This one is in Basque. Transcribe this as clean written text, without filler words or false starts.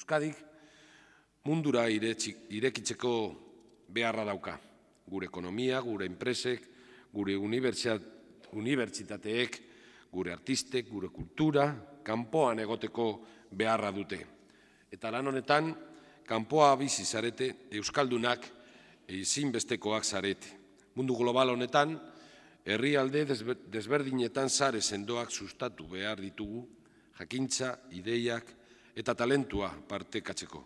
Euskadik mundura irekitzeko beharra dauka. Gure ekonomia, gure enpresek, gure unibertsitateek, gure artistek, gure kultura, kanpoan egoteko beharra dute. Eta lan honetan, kanpoa bizi zarete, euskaldunak ezinbestekoak zarete. Mundu global honetan, herrialde desberdinetan sare sendoak sustatu behar ditugu, jakintza, ideiak eta talentua partekatzeko.